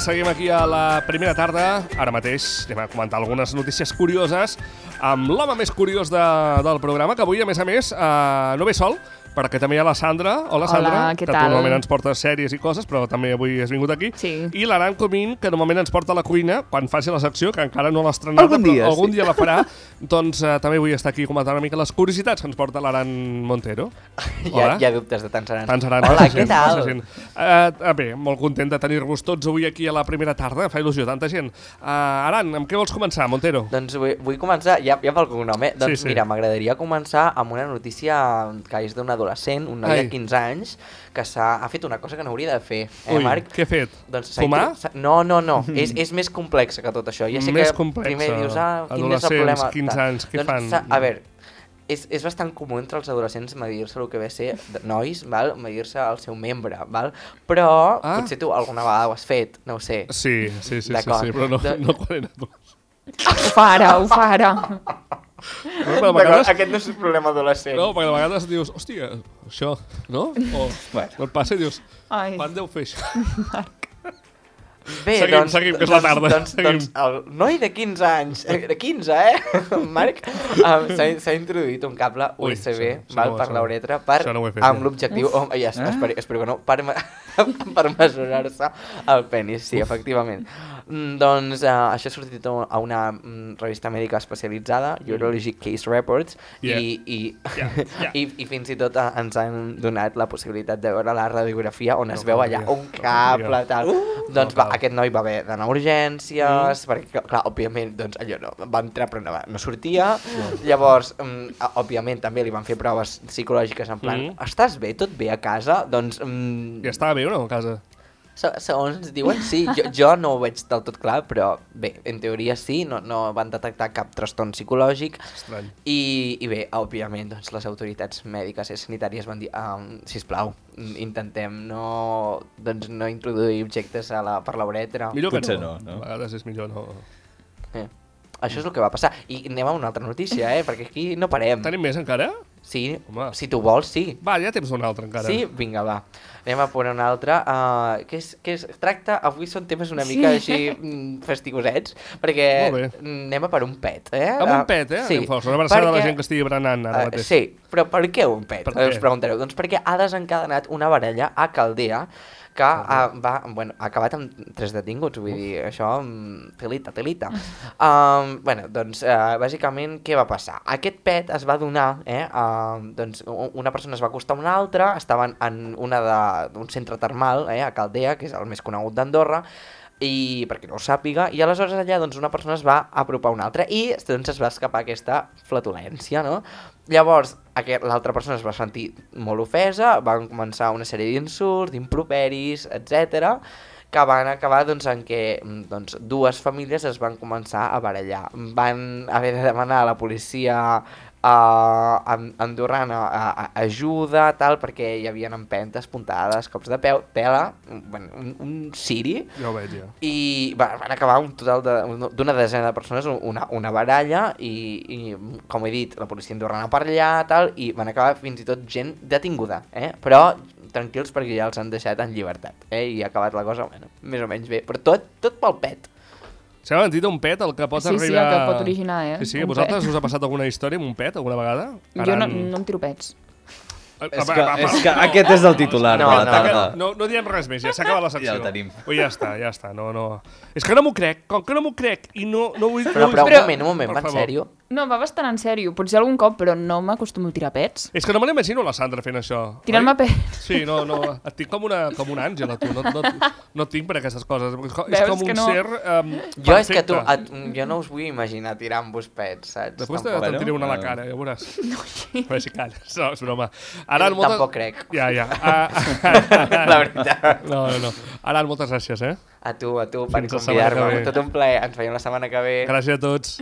Seguim aquí a la primera tarda. Ara mateix anem a comentar algunes notícies curioses amb l'home més curiós del programa, que avui, a més, no ve sol, perquè també hi ha la Sandra. Hola, Sandra. Hola, què que tal? tu normalment ens portes sèries i coses, però també avui has vingut aquí. Sí. I l'Aran Comín, que normalment ens porta a la cuina quan faci la secció, que encara no l'ha estrenada, algun dia la farà. Doncs també vull estar aquí comentant una mica les curiositats que ens porta l'Aran Montero. Hi ha dubtes de tants Aran. Hola, què tal? Bé, molt content de tenir-vos tots avui aquí a la primera tarda. Fa il·lusió, tanta gent. Aran, amb què vols començar, Montero? Doncs vull començar, ja pel cognom, eh? Doncs sí. Mira, m'agradaria començar amb una notícia que és d'un adolescent, un noi de 15 anys, que ha fet una cosa que no hauria de fer, Marc? Què ha fet? Doncs fumar? No. És més complex que tot això. Ja sé més que complexa. primer dius, quin és el problema? 15 anys, què fan? A veure, és bastant comú entre els adolescents medir-se el que ve a ser nois, val? Medir-se el seu membre, val? Però potser tu alguna vegada ho has fet, no ho sé. Sí, però no quan era adolescent. Ho fa ara. No, vegades... Aquest no és un problema adolescent. No, perquè de vegades dius, hòstia, això, no? O no et passa i dius, quan deu fer això? Bé, seguim, que és la tarda. Doncs el noi de 15 anys, de 15, Marc, s'ha introduït un cable USB per la uretra amb l'objectiu, espero que no, per mesurar-se el penis, sí, efectivament. Doncs això ha sortit a una revista mèdica especialitzada, Urologic Case Reports, i fins i tot ens han donat la possibilitat de veure la radiografia on es veu allà un cable, tal. Doncs aquest noi va haver d'anar a urgències, perquè, clar, òbviament, doncs allò no, va entrar però no sortia. Llavors, òbviament, també li van fer proves psicològiques en plan, estàs bé, tot bé a casa? Doncs... I estava bé o no a casa? Segons diuen, sí. Jo no ho veig del tot clar, però bé, en teoria sí, no van detectar cap trastorn psicològic. Estrany. I bé, òbviament, doncs, les autoritats mèdiques i sanitàries van dir, sisplau, intentem no introduir objectes per la uretra. Millor que potser no. No. A vegades és millor no. Això és el que va passar. I anem a una altra notícia, perquè aquí no parem. Tenim més encara? Sí, home. Si tu vols, sí. Va, ja tens una altra encara. Sí? Vinga, va. Anem a posar una altra. Avui són temes una mica així fastigosets, perquè anem a per un pet, Amb un pet, Sí. Anem força. Una abraçada de la gent que estigui berenant ara mateix. Sí, però per què un pet? Us preguntareu. Doncs perquè ha desencadenat una baralla a Caldea que ha acabat amb 3 detinguts, vull dir, això, telita. Doncs, bàsicament, què va passar? Aquest pet es va donar, doncs una persona es va acostar a una altra, estaven en un centre termal, a Caldea, que és el més conegut d'Andorra, i perquè no ho sàpiga, i aleshores allà doncs, una persona es va apropar a una altra i doncs, es va escapar aquesta flatulència, no? Llavors, l'altra persona es va sentir molt ofesa, van començar una sèrie d'insults, d'improperis, etc., que van acabar doncs, en què dues famílies es van començar a barallar. Van haver de demanar a la policia andorrana ajuda, tal, perquè hi havia empentes, puntades, cops de peu, tela, un ciri, ja ho veig, ja. I van acabar un total d'una desena de persones, una baralla, i com he dit, la policia andorrana per allà, tal, i van acabar fins i tot gent detinguda, però tranquils perquè ja els han deixat en llibertat, i ha acabat la cosa, més o menys bé, però tot pel pet. S'ha sentit un pet el que pot arribar... Sí, el que pot originar, Sí, a vosaltres us ha passat alguna història amb un pet alguna vegada? Jo no em tiro pets. És que aquest és el titular de la tarda. No diem res més, ja s'ha acabat la secció. Ja el tenim. Ja està. No. És que no m'ho crec, com que no m'ho crec i no vull... Però un moment, va en sèrio? No, va bastant en sèrio, potser algun cop, però no m'acostumo a tirar pets. És que no me l'imagino la Sandra fent això. Tirant-me pets? Sí, no, et tinc com un àngel a tu, no tinc per aquestes coses. És com un ser perfecte. Jo no us vull imaginar tirant-vos pets, saps? Després te'n tiré una a la cara, ja veuràs. No, sí. A veure si calles, no, és broma. Tampoc crec. Ja. La veritat. No. Aran, moltes gràcies, A tu per convidar-me. Tot un plaer. Ens veiem la setmana que ve. Gràcies a tots.